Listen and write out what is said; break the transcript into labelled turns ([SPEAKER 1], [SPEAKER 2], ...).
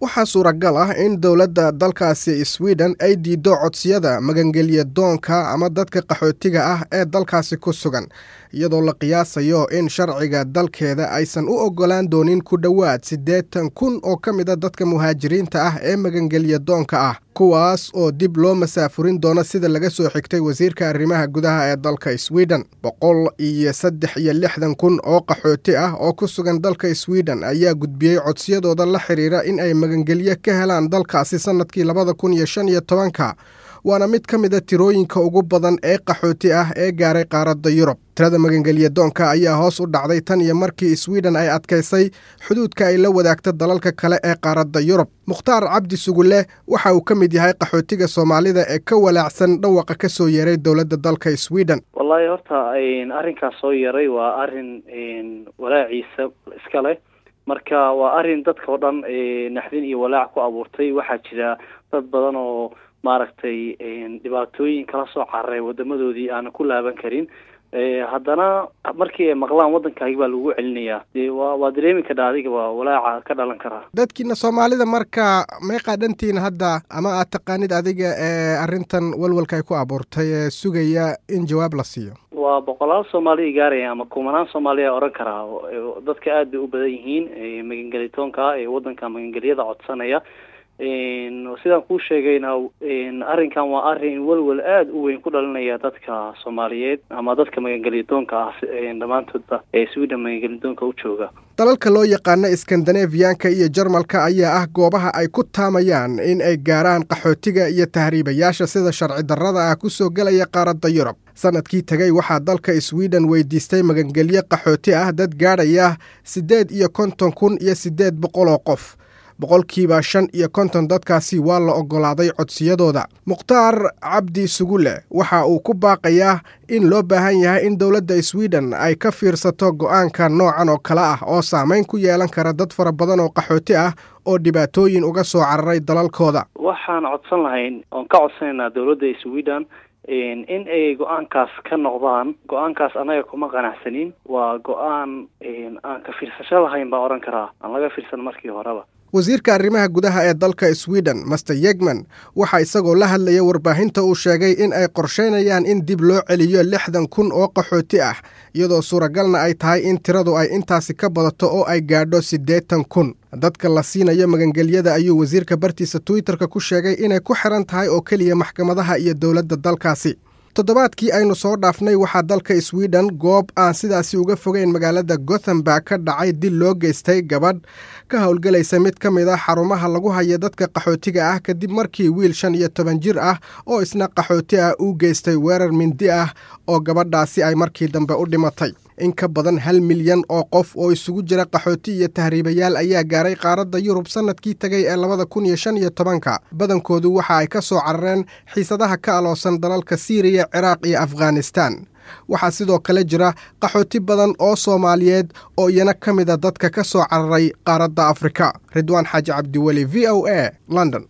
[SPEAKER 1] Waxaa suuragal ah in dowladda dalkaasi Sweden ay diido codsiyada magangelya doonka ama dadka qaxootiga ah ee dalkaasi ku sugan, iyadoo la qiyaasayo in sharciga dalkeeda aysan u oggolaan doonin ku dhowaad 80,000 oo ka mid a dadka muhaajiriinta ah ee magangelya doonka ah, kuwaas oo dib loo masaafurin doono, sida laga soo xigtay wasiirka arrimaha gudaha ee dalka Sweden. 163,000 oo qaxooti ah oo ku sugan dalka Sweden ayaa gudbiyey codsiyadooda la xiriira in ay magangelyo ka helaan dalkaasi sannadkii 2015-ka, waana mid ka mid a tirooyinka ugu badan ee qaxooti ah ee gaaray qaaradda Yurub. Tirada magangelya doonka ayaa hoos u dhacday tan iyo markii Sweden ay adkaysay xuduudka ay la wadaagto dalalka kale ee qaaradda Yurub. Mukhtaar Cabdi Sugule waxa uu ka mid yahay qaxootiga Soomaalida ee ka walaacsan dhawaqa ka soo yeeray dowladda dalka Sweden.
[SPEAKER 2] Wallaahi horta arrinkaas soo yeeray waa arrin walaaciisa iska leh. Marka waa arrin dadka oo dhan naxdin iyo walaac ku abuurtay. Waxaa jira dad badan oo maaragtay dhibaatooyin kala soo cararay wadamadoodii aanan ku laaban karin, haddana markii ay maqlaan waddankaagi baa lagu celinayaa, dee waa dareemi kadha adiga, waa walaaca ka dhalan karaa.
[SPEAKER 1] Dadkiina Soomaalida marka meeqaa dhantiina hadda ama aad taqaanid adiga ee arrintan walwalka ay ku abuurtay ee sugaya in jawaab la siiyo?
[SPEAKER 2] Waa boqolaal Soomaaliya gaaraya ama kumanaan Soomaaliya oran karaa. Dadka aad bay u badan yihiin magangelitoonka ee waddanka magangelyada codsanaya. Sidaan kuu sheegayna, arrinkan waa arrin walwal aada u weyn ku dhalinaya dadka Soomaaliyeed ama dadka magangelyadoonka ah dhammaantoodba ee Sweden magangelyadoonka u jooga.
[SPEAKER 1] Dalalka loo yaqaano Iskandanefiyanka iyo Jarmalka ayaa ah goobaha ay ku taamayaan in ay gaaraan qaxootiga iyo tahriibayaasha sida sharci darrada ah ku soo gelaya qaaradda Yurub. Sannadkii tegey waxaa dalka Sweden weydiistay magangelyo qaxooti ah dad gaadhaya 58,800 oo qof. 55% dadkaasi waa la oggolaaday codsiyadooda. Mukhtaar Cabdi Sugule waxa uu ku baaqayaa in loo baahan yahay in dowladda Sweden ay ka fiirsato go'aanka noocan oo kale ah oo saameyn ku yeelan kara dad fara badan oo qaxooti ah oo dhibaatooyin uga soo cararay dalalkooda.
[SPEAKER 2] Waxaan codsan lahayn oon ka codsanaynaa dowladda Sweden in ay go-aankaas ka noqdaan. Go-aankaas annaga kuma qanacsanin, waa go-aan aan ka fiirsasho lahayn baa odhan karaa, aan laga fiirsan markii horeba.
[SPEAKER 1] Wasiirka arrimaha gudaha ee dalka Sweden, Master Yegman, waxaa isagoo la hadlaya warbaahinta uu sheegay in ay qorsheynayaan in dib loo celiyo 60,000 oo qaxooti ah, iyadoo suuragalna ay tahay in tiradu ay intaasi ka badato oo ay gaadho 80,000. Dadka la siinayo magangelyada ayuu wasiirka bartiisa Twitterka ku sheegay inay ku xiran tahay oo keliya maxkamadaha iyo dowladda dalkaasi. Toddobaadkii aynu soo dhaafnay waxaa dalka Sweden goob aan sidaasi uga fogeyn magaalada Gothenburg ka dhacay dil loo geystay gabadh ka howlgelaysa mid ka mid ah xarumaha lagu haya dadka qaxootiga ah, kadib markii wiil 15 jir ah oo isna qaxooti ah uu geystay weerar mindi ah oo gabadhaasi ay markii dambe u dhimatay. In ka badan 1 milyan oo qof oo isugu jira qaxooti iyo tahriibayaal ayaa gaaray qaaradda Yurub sannadkii tegay ee 2015-ka. Badankoodu waxa ay ka soo carareen xiisadaha ka aloosan dalalka Siiriya, Ciraaq iyo Afghanistan. Waxaa sidoo kale jira qaxooti badan oo Soomaaliyeed oo iyana ka mid a dadka ka soo cararay qaaradda Afrika. Ridwaan Xaaji Cabdiweli, VOA, London.